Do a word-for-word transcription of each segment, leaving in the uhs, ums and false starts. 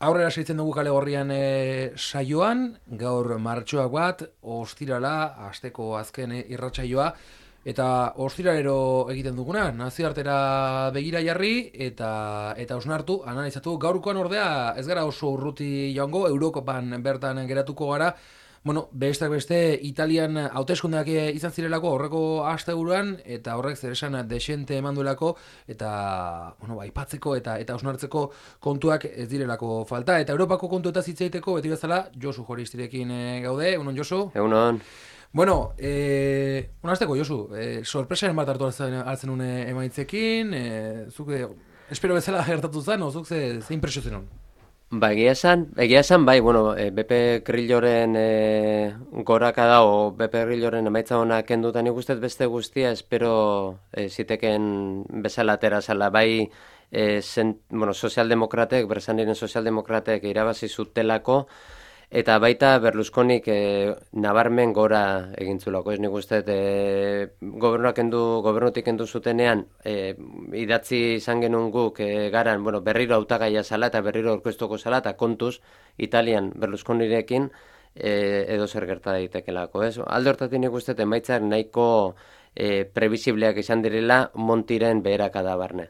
Aurrera segitzen dugu kale gorrian e, saioan, gaur martxoak bat, ostirala, asteko azken e, irratsaioa, eta ostiralero egiten duguna, nazioartera begira jarri, eta eta osnartu, analizatu, gaurkoan ordea ez gara oso urruti joango, Eurokopan bertan geratuko gara, bueno, besteak beste, Italian hauteskundeak izan zirelako horreko asteburuan eta horrek zer esan desente eman duelako eta, bueno, aipatzeko eta eta osnartzeko kontuak ez direlako falta. Eta Europako kontuetaz hitz egiteko beti bezala Josu Joristirekin e, gaude. Egunon, Josu? Egunon. Bueno, eh, unazteko, Josu, eh, sorpresaren bat hartu hartzen, hartzen une emaitzekin, eh, zuk, eh, espero bezala gertatu zen, o zuk ze, ze impresio zenun? Ba, egia esan, egia esan, bai, bueno, e, B P Grilloren e, gorakada o B P Grilloren emaitza honak kenduta nik ustez beste guztia, espero e, ziteken bezala atera zala, bai, e, zen, bueno, sozialdemokratek, bersan diren sozialdemokratek irabazi zutelako, eta baita Berlusconik e, nabarmen gora egintzulako, ez nik uste, e, gobernuak endu, gobernutik endu zutenean, e, idatzi izan genuen guk e, garan, bueno, berriro hautagaia zala eta berriro aurkeztuko zala, eta kontuz, Italian Berlusconirekin e, edo zer gerta daitekelako, ez? Alde hortatik nik uste, emaitzak nahiko e, previsibleak izan direla Montiren beherakada barne.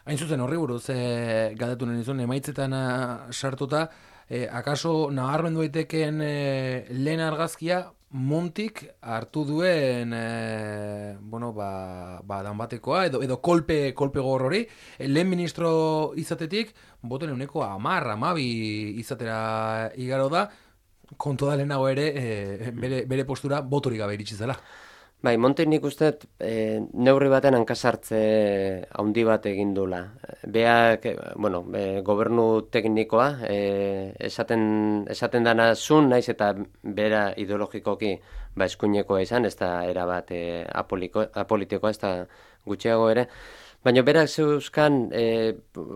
Hain zuzen horri buruz, e, galdetu nahi nizun, emaitzetan sartuta, E, akaso nabarmendu daiteken e, lehen argazkia Montik hartu duen e, bueno, ba, ba danbatekoa edo, edo kolpe, kolpe gogor hori, e, lehen ministro izatetik boten euneko amar, amabi izatera igaro da, kontu da lehenago ere e, bere, bere postura botorik gabe iritsi zela. Bai, Monti nik uste e, neurri baten hankasartze handi bat egin dula. Beak, bueno, e, gobernu teknikoa, e, esaten, esaten dana zun, naiz eta bera ideologikoki ba, eskuinekoa izan, ez da erabat e, apoliko, apolitikoa, ez da gutxiago ere. Baina berak zeuzkan e,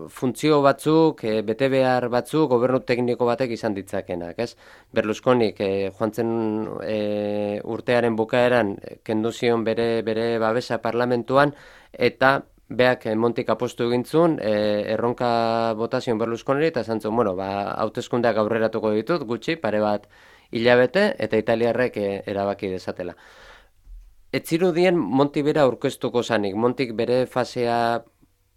funtzio batzuk, e, bete behar batzuk, gobernu tekniko batek izan ditzakenak, ez? Berlusconik e, joan zen e, urtearen bukaeran kendu zion bere, bere babesa parlamentuan, eta beak e, Montik apostu egintzun, e, erronka botazion Berlusconiri, eta esan zuen, bueno, ba, hauteskundeak aurreratuko ditut, gutxi, pare bat hilabete, eta italiarrek e, erabaki dezatela. Ez zirudien Monti bera aurkeztuko zanik. Montik bere fasea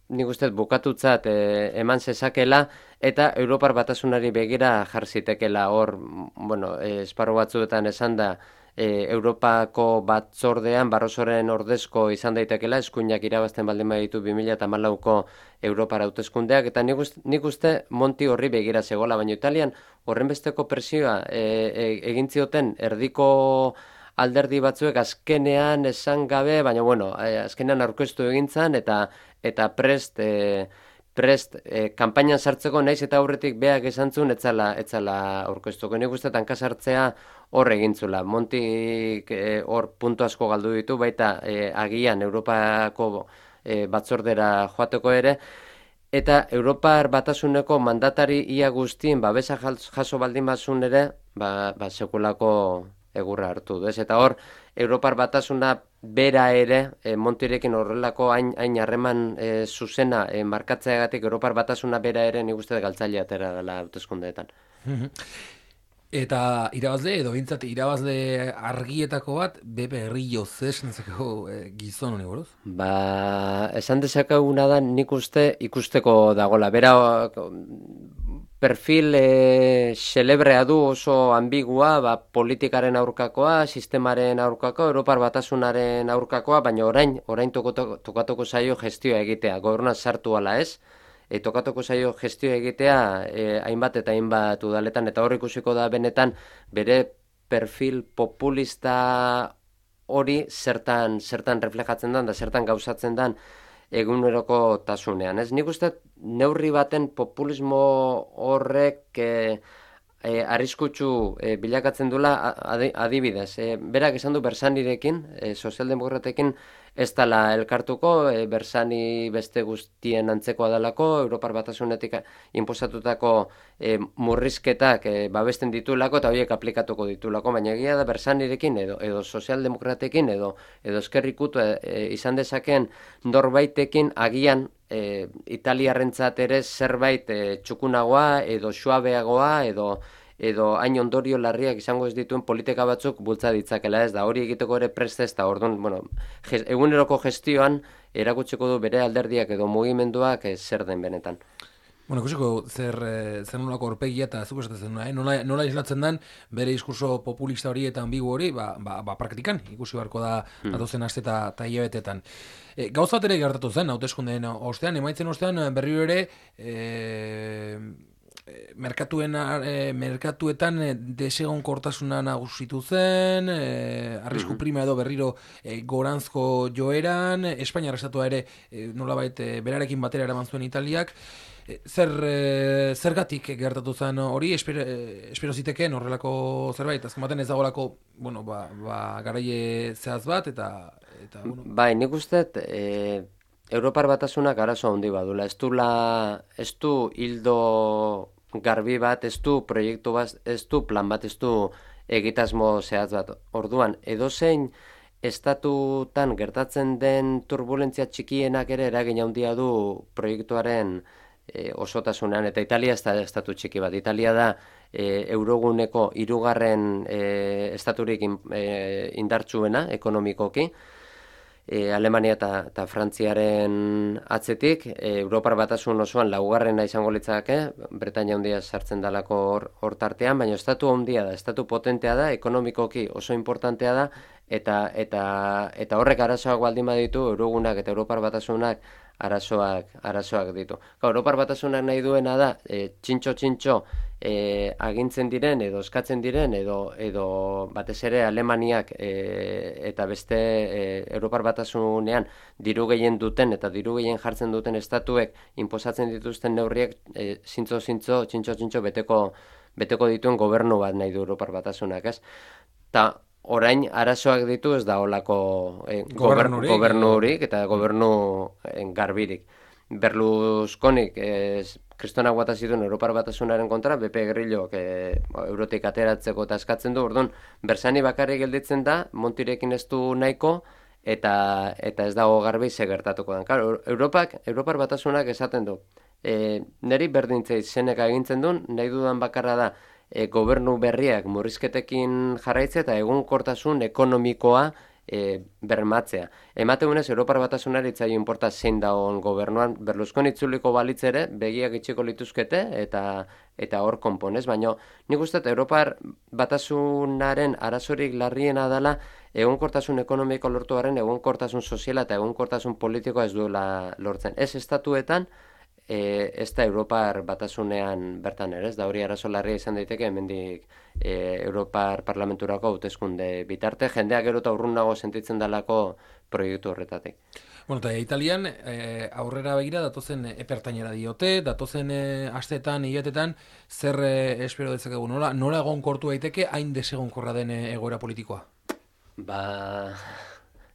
nik uste bukatutzat e, eman zezakela eta Europar Batasunari begira jarzitekela hor, bueno, e, esparru batzuetan esan da e, Europako batzordean Barrosoren ordezko izan daitekela, eskuinak irabazten baldin baditu bi mila hamalauko Europar hauteskundeak, eta nik uste, nik uste Monti horri begira zegoela, baina Italian horrenbesteko presioa e, e, egin zioten erdiko alderdi batzuek azkenean esan gabe, baina bueno, eh, azkenean aurkeztu egintzan eta eta prest eh, prest eh, kanpainan sartzeko naiz eta aurretik beak esantzun etzala etzala aurkeztuko. Nik uste tanka sartzea hor egintzula. Montik eh, hor puntu asko galdu ditu, baita eh, agian Europako eh, batzordera joateko ere. Eta Europar Batasuneko mandatari ia guztien babesa jaso baldin bazun ere, ba, ba sekulako egurra hartu du, ez? Eta hor, Europar Batasuna bera ere, e, Montirekin horrelako hain, hain harreman e, zuzena e, markatzeagatik Europar Batasuna bera ere nik uste galtzaile atera dela hauteskundeetan. Eta irabazle, edo bintzat irabazle argietako bat, B P Grillo zesentzeko e, gizon honi buruz? Ba, esan dezakeguna da nik uste ikusteko dagola. Bera, perfil e, celebrea du oso ambigua, ba, politikaren aurkakoa, sistemaren aurkakoa, Europar Batasunaren aurkakoa, baina orain, orain tokatuko zaio gestioa egitea, gobernuan sartu ala ez, e, tokatuko zaio gestioa egitea e, hainbat eta hainbat udaletan, eta hor ikusiko da benetan bere perfil populista hori zertan, zertan reflejatzen den, da zertan gauzatzen den, eguneroko tasunean. Ez nik uste neurri baten populismo horrek e, e, arriskutsu e, bilakatzen dula adibidez. E, berak esan du Bersanirekin, e, sozialdemokratekin ez dala elkartuko, e, Bersani beste guztien antzekoa dalako, Europar Batasunetik inposatutako e, murrizketak e, babesten ditulako eta horiek aplikatuko ditulako, baina egia da Bersanirekin edo, edo sozialdemokratekin edo, edo eskerrikutu e, e, izan dezaken norbaitekin agian e, italiarrentzat ere zerbait e, txukunagoa edo suabeagoa edo edo hain ondorio larriak izango ez dituen politika batzuk bultza ditzakela, ez da hori egiteko ere prest ez da, orduan, bueno, ges, eguneroko gestioan erakutsiko du bere alderdiak edo mugimenduak eh, zer den benetan. Bueno, ikusiko zer, zer nolako aurpegia eta zuk esaten eh? nola, nola islatzen den bere diskurso populista hori eta ambigu hori, ba, ba, ba praktikan, ikusi beharko da hmm. datozen aste eta hilabetetan. E, gauza bat ere gertatu zen, hauteskundeen ostean, emaitzen ostean berriro ere, e, merkatuen e, merkatuetan e, desegonkortasuna nagusitu zen, e, arrisku prima edo berriro e, goranzko joeran, Espainiar estatua ere e, nolabait e, berarekin batera eraman zuen Italiak. E, zer e, zergatik gertatu zen hori, espero, e, espero ziteken horrelako zerbait, azken baten ez dagoelako, bueno, ba, ba garaie zehaz bat eta eta bueno. Bai, nik uste e... Europar Batasunak arazo handi badula, ez du la, ez du hildo garbi bat, ez du proiektu bat, ez du plan bat, ez du egitasmo zehatz bat. Orduan, edozein estatutan gertatzen den turbulentzia txikienak ere eragin handia du proiektuaren e, osotasunean, eta Italia ez da estatu txiki bat. Italia da e, euroguneko hirugarren e, estaturik in, e, indartsuena ekonomikoki, E, Alemania eta, eta Frantziaren atzetik, e, Europar Batasun osoan laugarrena izango litzake, Bretainia handia sartzen dalako hor, hor tartean, baina estatu handia da, estatu potentea da, ekonomikoki oso importantea da, eta eta eta horrek arazoak baldin baditu, Eurogunak eta Europar Batasunak arazoak arazoak ditu. Ga, Europar Batasunak nahi duena da, e, txintxo-txintxo e, agintzen diren edo eskatzen diren edo edo batez ere Alemaniak e, eta beste e, Europar Batasunean diru gehien duten eta diru gehien jartzen duten estatuek inposatzen dituzten neurriek e, zintzo-zintzo, txintxo-txintxo beteko beteko dituen gobernu bat nahi du Europar Batasunak, ez? Ta orain arazoak ditu ez da olako eh, gobernurik, gobernurik eta gobernu eh, garbirik. Berlusconik eh, kristonak bota zituen Europar Batasunaren kontra, B P Grillok eh, eurotik ateratzeko eta eskatzen du, orduan, Bersani bakarrik gelditzen da, Montirekin ez du nahiko, eta eta ez dago garbi ze gertatuko den. Claro, Europak, Europar Batasunak esaten du, eh, neri berdintzei zeneka egintzen duen, nahi dudan bakarra da, E, gobernu berriak murrizketekin jarraitzea eta egonkortasun ekonomikoa e, bermatzea. Emateunez, Europar Batasunari itzaio inporta zein dagoen gobernuan, Berlusconi itzuliko balitz ere, begiak itxiko lituzkete eta eta hor konponez, baina nik uste Europar Batasunaren arazorik larriena dela egonkortasun ekonomiko lortu garen, egonkortasun soziala eta egonkortasun politikoa ez duela lortzen. Ez estatuetan, E, ez da Europar Batasunean bertan ere, ez da hori arazo larria izan daiteke hemendik e, Europar Parlamenturako hauteskunde bitarte, jendeak gero eta urrunago sentitzen dalako proiektu horretatik. Bueno, eta Italian e, aurrera begira datozen epertainera diote, datozen e, astetan, hilatetan, zer e, espero dezakegu, nola, nola egonkortu daiteke hain desegonkorra den egoera politikoa? Ba...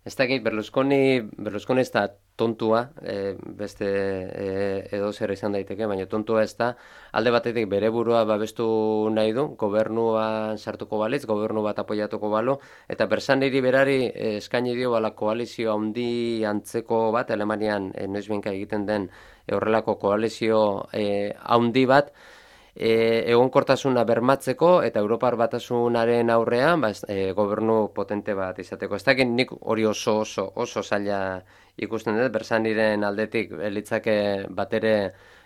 Ez dakit, Berlusconi, Berlusconi ez da tontua, e, beste e, edo zer izan daiteke, baina tontua ez da, alde batetik bere burua babestu nahi du, gobernuan sartuko balitz, gobernu bat apoiatuko balo, eta Bersaniri berari e, eskaini dio bala koalizio handi antzeko bat, Alemanian e, noizbenka egiten den e, horrelako koalizio e, handi bat, E, egonkortasuna bermatzeko eta Europar Batasunaren aurrean ba, e, gobernu potente bat izateko. Ez dakit nik hori oso oso oso zaila ikusten dut, Bersaniren aldetik elitzake batere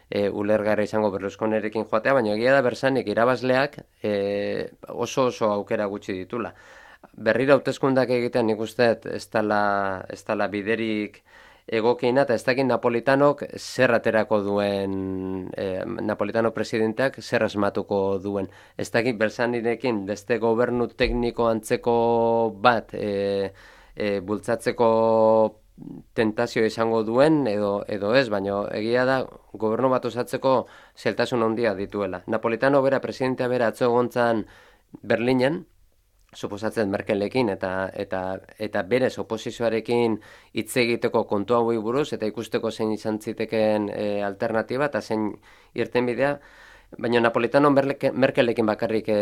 e, ulergarri izango Berlusconirekin joatea, baina egia da Bersanik irabazleak e, oso oso aukera gutxi ditula. Berriro hauteskundak egitean nik uste ez dela ez dela biderik egokiena, eta ez dakit Napolitanok zer aterako duen, eh, Napolitano presidenteak zer asmatuko duen. Ez dakit Bersanirekin beste gobernu tekniko antzeko bat e, e, bultzatzeko tentazio izango duen edo edo ez, baina egia da gobernu bat osatzeko zeltasun handia dituela. Napolitano bera, presidentea bera atzo egontzan Berlinen, suposatzen Merkelekin eta eta eta berez oposizioarekin hitz egiteko kontu hauei buruz eta ikusteko zein izan zitekeen e, alternatiba eta zein irtenbidea, baina Napolitano Merkelekin bakarrik e,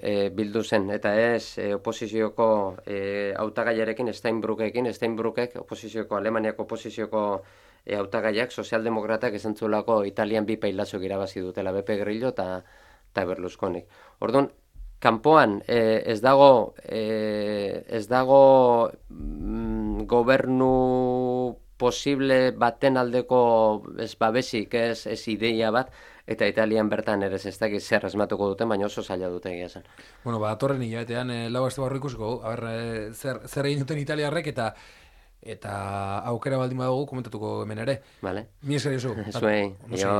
e, bildu zen eta ez e, oposizioko e, hautagaiarekin Steinbrückekin, Steinbrückek oposizioko Alemaniako oposizioko e, hautagaiak sozialdemokratak esan zuelako Italian bi pailazok irabazi dutela, Beppe Grillo eta eta Berlusconi. Orduan, kanpoan eh, ez dago eh, ez dago mm, gobernu posible baten aldeko ez babesik, ez, ez ideia bat, eta Italian bertan ere ez dakit zer asmatuko duten, baina oso zaila dute egia zen. Bueno, ba, atorren hilabetean e, lau aste barru ikusiko, a ber, e, zer, zer egin duten italiarrek eta eta aukera baldin badugu komentatuko hemen ere. Vale. Mi esker Josu. Zuei, jo...